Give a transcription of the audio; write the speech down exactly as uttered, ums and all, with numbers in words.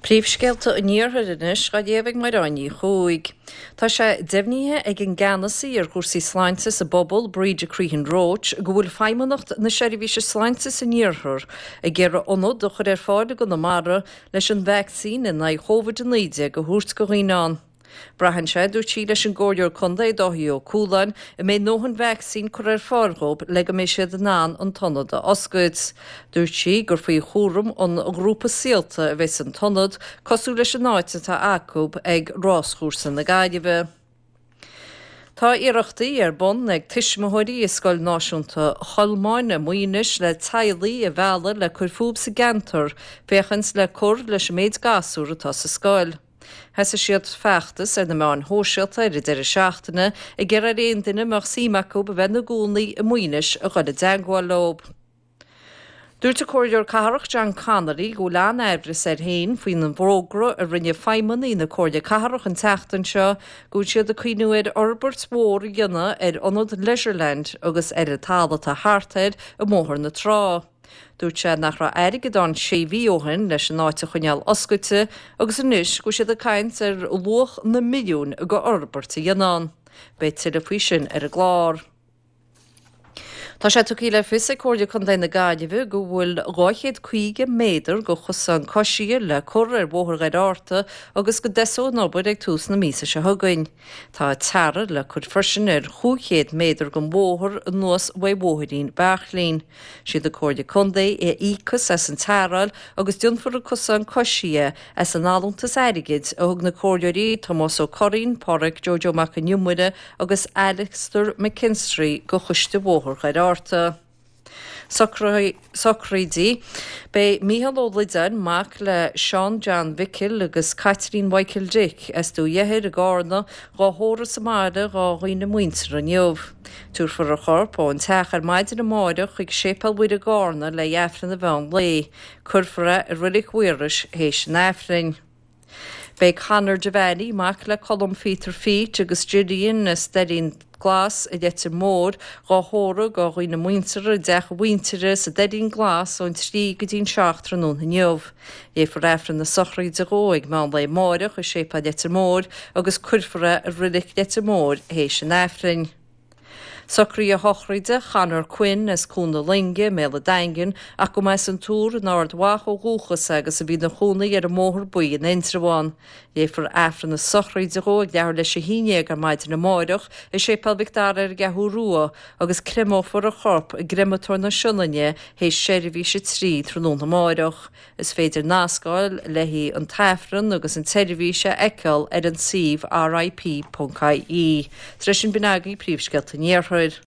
Príomhscéalta an Iarthair anois á léamh ag Máire Ní Chuaig. Tá sé deimhnithe ag an gceannasaí ar chúrsaí sláinte sa bpobal Breda Crehan Roche go bhfuil Feidhmeannacht na Seirbhíse Sláinte san Iarthar ag iarraidh ionad a chur ar fáil i gConamara leis an vacsaín in aghaidh Covid a naoi déag a thabhairt do dhaoine ann. Braitheann sé, dúirt sí leis an gComhairleoir Contae Dáithí Ó Cualáin, an mbeidh ndóthain vacsaín curtha ar fáil dhóibh le go mbeidh siad in ann an t-ionad a oscailt. Dúirt sí gur faoi chúram an ghrúpa Saolta a bheas an t-ionad, cosúil leis an áit atá acu ag ráschúrsa na Gaillimhe. Tá iarrachtaí ar bun ag tuismitheoirí i Scoil Náisiúnta Cholmáin i Muínis le teaghlaigh a mhealladh le cur fúthu sa gceantar féachaint le cur leis an méid gasúr atá sa scoil. Thosaigh siad feachtas ar na meáin shóisialta ar an deireadh seachtaine ag iarraidh ar aon duine a mbeadh suim acu a bheith ina gcónaí i Muínis a dhul i dteagmháil leo. Dúirt an Comhairleoir Cathrach John Connolly go bhfuil an-aimhreas air féin faoin bhfógra a rinne feidhmeannaigh na Comhairle Cathrach an tseachtain seo go bhfuil siad ag cuimhniú ar fhorbairt mhór a dhéanamh ar ionad Leisureland agus ar an talamh atá thart air i mBóthar na Trá. Dúirt sé nach raibh airgead ann sé mhí ó shin leis an áit a choinneáil oscailte agus anois go bhfuil siad ag caint ar luach na milliúin go fhorbairt a dhéanamh ann. Beidh tuilleadh faoi sin ar an gclár. Tá sé tugtha le fios ag Comhairle Contae na Gaillimhe go bhfuil dhá chéad caoga méadar de chosán coisithe le cur ar Bhóthar Dhoire Fhatharta agus go dtosóidh an obair ag tús na míosa seo chugainn. Tá tarra le cur freisin ar chúig chéad méadar den bhóthar anuas uaidh Bhóithrín Bhearthlín. Siad an Comhairle Contae a íocfas as an tarráil agus déanfar an cosán coisithe as an allúntas airgid a thug na Comhairleoirí Tomás Ó Curraoin, Páraic Joe Joe Mac an Iomaire agus Alastair McKinstry go Choiste Bhóthar Dhoire Fhatharta. Sochraidí. Beidh Mícheál Ó Loideáin, mac le Seán John Mhicil agus Caitlín Mhichael Dick as Dumha Dheathair i gCarna, dhá thórramh sa mbaile dhá dhaoine muinteartha inniu. Tabharfar a chorp ón teach ar maidin amáireach chuig Séipéal Mhuire i gCarna le Aifreann an mheán lae. Cuirfear é i Reilig Mhaorais théis an Aifrinn. Beidh Conor Devaney, mac le Colm Peter Feet agus Gillian as Doirín Glas i Leitir Móir, dhá thórramh go dhaoine muinteartha i dteach a mhuintire sa Doirín Glas ón trí go dtí'n seacht tráthnóna inniu. Léifear Aifreann na sochraide dhó ag meán lae amáireach i Séipéal Leitir Móir agus cuirfear é i Reilig Leitir Móir théis an Aifrinn. Socruithe sochraide Conor Quinn as Cuan na Loinge i mBéal an Daingin ach go mba as an Túr in Ard Mhacha ó dhúchas agus a bhí ina chónaí ar an mBóthar Buí in Indreabhán. Léifear Aifreann na sochraide dhó ag leathuair leis a haon déag ar maidin amáireach i Séipéal Mhic Dara ar an gCeathrú Rua agus creimeofar a chorp i gCreamatóir na Sionainne théis seirbhís a trí tráthnóna amáireach. Is féidir nascáil le haghaidh an t-aifreann agus an tseirbhís a fheiceáil ar an suíomh RIP.ie. Tar éis sin b'in agaibh príomhscéalta an Iarthair.